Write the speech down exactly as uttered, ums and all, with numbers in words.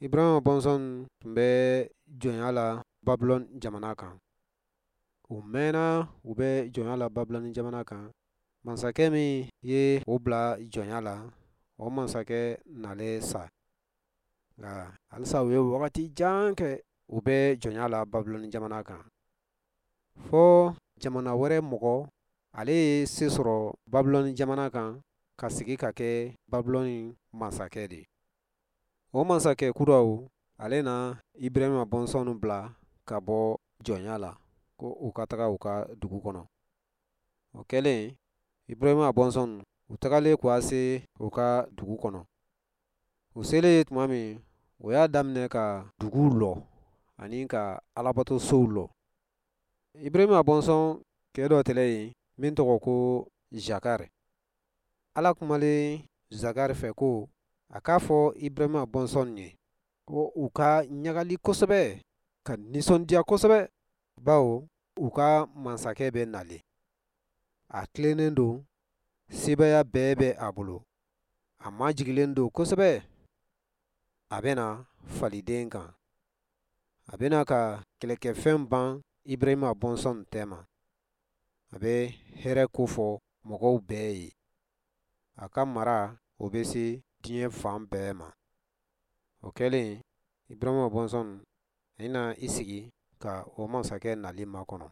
Ibrahima bɔnsɔn tun bɛ jɔnya la Babilɔni jamana kan. U mɛnna u bɛ jɔnya la Babilɔni jamana kan. Masakɛ min ye o bila jɔnya la, o masakɛ nalen sa. Nka halisa u ye wagati jan kɛ u bɛ jɔnya la Babilɔni jamana kan. Fɔ jamana wɛrɛ mɔgɔ, ale ye se sɔrɔ Babilɔni jamana kan ka sigi ka kɛ Babilɔni masakɛ de ye. O masakɛ kuraw, ale na Ibrahima bɔnsɔnw bila ka bɔ jɔnya la ko u ka taga u ka dugu kɔnɔ. O kɛlen, Ibrahima bɔnsɔnw, u tagalen k'a se u ka dugu kɔnɔ. U selen tuma min, u y'a daminɛ ka duguw lɔ ani ka alabatosow lɔ. Ibrahima bɔnsɔn cɛ dɔ tɛlɛ yen min tɔgɔ ko Zakari. Ala kumalen Zakari fɛ ko a k'a fɔ Ibrahima bɔnsɔn ye ko u ka ɲagali kosɛbɛ, ka nisɔndiya kosɛbɛ, bawo u ka masakɛ bɛ nalen. A tilennen don, sebaaya bɛɛ bɛ a bolo, a majigilen don kosɛbɛ. A bɛna faliden kan, a bɛna ka kɛlɛkɛfɛn ban Ibrahima bɔnsɔn tɛma. A bɛ hɛrɛ kofɔ mɔgɔw bɛɛ ye. A ka mara o bɛ se diɲɛ fan bɛɛ ma. O kɛlen, Ibrahima bɔnsɔn i na i sigi ka o masakɛ nali makɔnɔ.